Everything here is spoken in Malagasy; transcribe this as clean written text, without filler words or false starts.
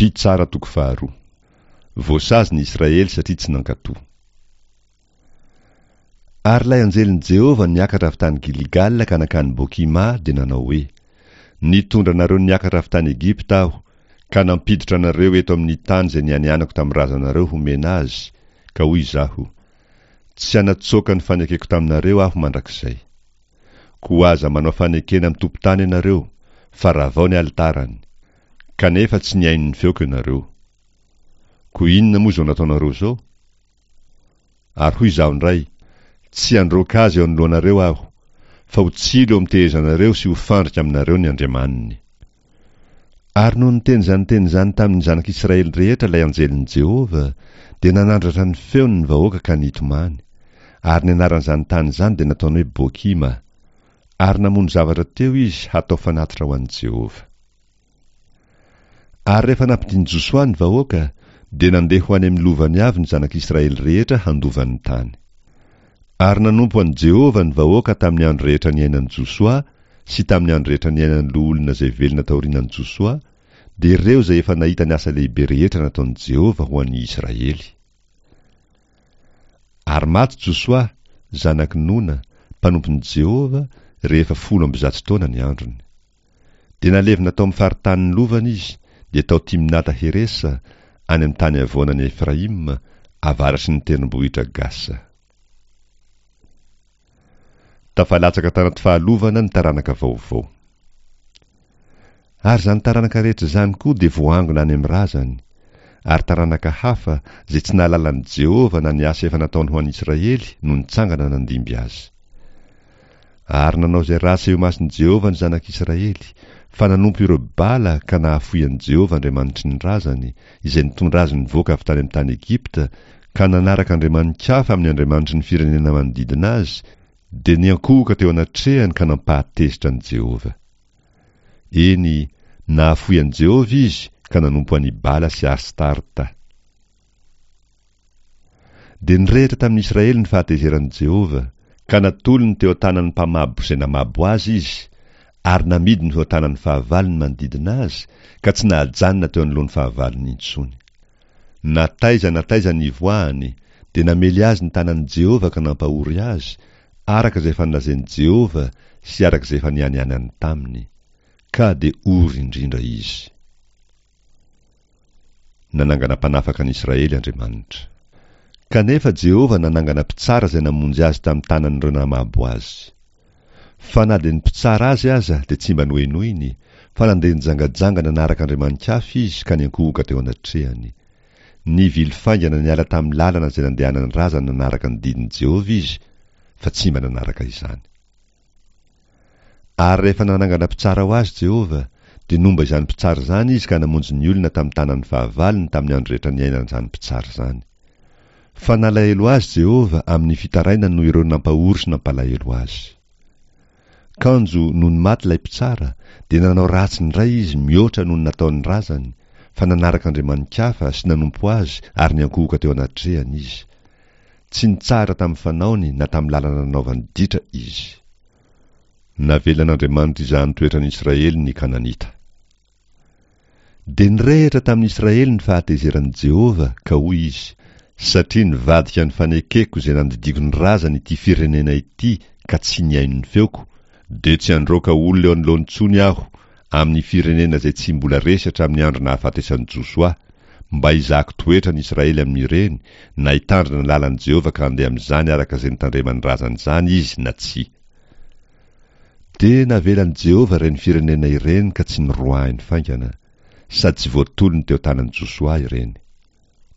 Mpitsara toko faharoa. Voasazy ny Israely satria tsy nankatò. Ary ilay anjelin'i Jehovah niakatra avy tany Gilgala ka nankany Bokima dia nanao hoe, Nitondra anareo niakatra avy tany Egypta aho, ka nampiditra anareo eto amin'ny tany izay nianianako tamin'ny razanareo homena azy, ka hoy izaho, Tsy hanatsoaka ny fanekeko taminareo aho mandrakizay. Koa aza manao fanekena amin'ny tompon-tany ianareo, fa ravao ny alitarany. Kanefa tsy nihaino ny feoko ianareo. Koa inona moa izao nataonareo izao? Ary hoy izaho indray, Tsy handroaka azy eo anoloanareo aho, fa ho tsilo eo amin'ny tehezanareo sy ho fandrika aminareo ny andriamaniny. Ary nony niteny izany teny izany tamin'ny zanak'Israely rehetra ilay anjelin'i Jehovah, dia nanandratra ny feony ny vahoaka ka nitomany. Ary ny anaran'izany tany izany dia nataony hoe Bokima. Ary namono zavatra teo izy hatao fanatitra ho an'i Jehovah. Ary rehefa nampidin'i Josoa ny vahoaka, dia nandeha ho any amin'ny lovany avy ny zanak'Israely rehetra handova ny tany. Ary nanompo an'i Jehovah ny vahoaka tamin'ny andro rehetra niainan'i Josoa sy tamin'ny andro rehetra niainan'ny loholona izay velona taorianan'i Josoa, dia ireo izay efa nahita ny asa lehibe rehetra nataon'i Jehovah ho an'ny Israely. Ary maty Josoa, zanak'i Nona, mpanompon'i Jehovah, rehefa 110 taona ny androny. Dia nalevina tao amin'ny faritanin'ny lovany izy, dia tao Timnata-heresa, any amin'ny tany havoanan'i Efraima, avaratry ny tendrombohitra Gasa. Tafalatsaka tanaty fahalovana ny taranaka vaovao. Ary izany taranaka rehetra izany koa dia voaangona any amin'ny razany. Ary taranaka hafa, izay tsy nahalala an'i Jehovah na ny asa efa nataony ho an'i Israely, no nitsangana nandimby azy. Ary nanao izay ratsy eo imason'i Jehovah ny zanak'Israely, fa nanompo ireo Bala ka nahafoy an'i Jehovah Andriamanitry ny razany, izay nitondra azy nivoaka avy tany amin'ny tany Egypta, ka nanaraka andriamani-kafa amin'ny andriamanitry ny firenena manodidina azy, dia niankohoka teo anatrehany ka nampahatezitra an'i Jehovah. Eny, nahafoy an'i Jehovah izy ka nanompo an'i Bala sy Astarta. Dia nirehitra tamin'ny Israely ny fahatezeran'i Jehovah, ka natolony teo an-tanan'ny mpamabo izay namabo azy izy, ary namidiny ho an-tanan'ny fahavalony manodidina azy, ka tsy nahajanona teo anoloan'ny fahavalony intsony. Na taiza na taiza nivoahany, dia namely azy ny tanan'i Jehovah ka nampahory azy, araka izay efa nolazain'i Jehovah sy araka izay efa nianianany taminy. Ka dia ory indrindra izy. Nanangana mpanafaka an'i Israely Andriamanitra. Kanefa Jehovah nanangana mpitsara izay namonjy azy tamin'ny tanan'ireo namabo azy. Fa na dia ny mpitsara azy aza dia tsy mba nohenoiny, fa nandeha nijangajanga nanaraka andriamani-kafa izy ka niankohoka teo anatrehany. Nivily faingana niala tamin'ny lalana izay nandehanan'ny razany nanaraka ny didin'i Jehovah izy, fa tsy mba nanaraka izany. Ary rehefa nanangana mpitsara ho azy Jehovah, dia nomba izany mpitsara izany izy ka namonjy ny olona tamin'ny tanan'ny fahavalony tamin'ny andro rehetra niainan'izany mpitsara izany. Fa nalahelo azy Jehovah amin'ny fitarainany noho ireo nampahory sy nampalahelo azy. Kanjo, nony maty ilay mpitsara, dia nanao ratsy indray izy mihoatra noho ny nataon'ny razany, fa nanaraka andriamani-kafa sy nanompo azy ary niankohoka teo anatrehany izy. Tsy nitsahatra tamin'ny fanaony na tamin'ny lalana nanaovany ditra izy. Navelan'Andriamanitra izany toetran'i Israely ny Kananita. Dia nirehitra tamin'i Israely ny fahatezeran'i Jehovah, ka hoy izy, Satria nivadika ny fanekeko izay nandidiako ny razany ity firenena ity ka tsy nihaino ny feoko, dia tsy handroaka olona eo anoloany intsony Aho, amin'ny firenena izay tsy mbola resy hatramin'ny andro nahafatesan'i Josoa, mba hizahako toetra ny Israely amin'ireny, na hitandrina ny lalan'i Jehovah ka handeha amin'izany araka izay nitandreman'ny razany izany izy na tsia. Dia navelan'i Jehovah ireny firenena ireny ka tsy noroahiny faingana, sady tsy voatolony teo an-tanan'i Josoa ireny.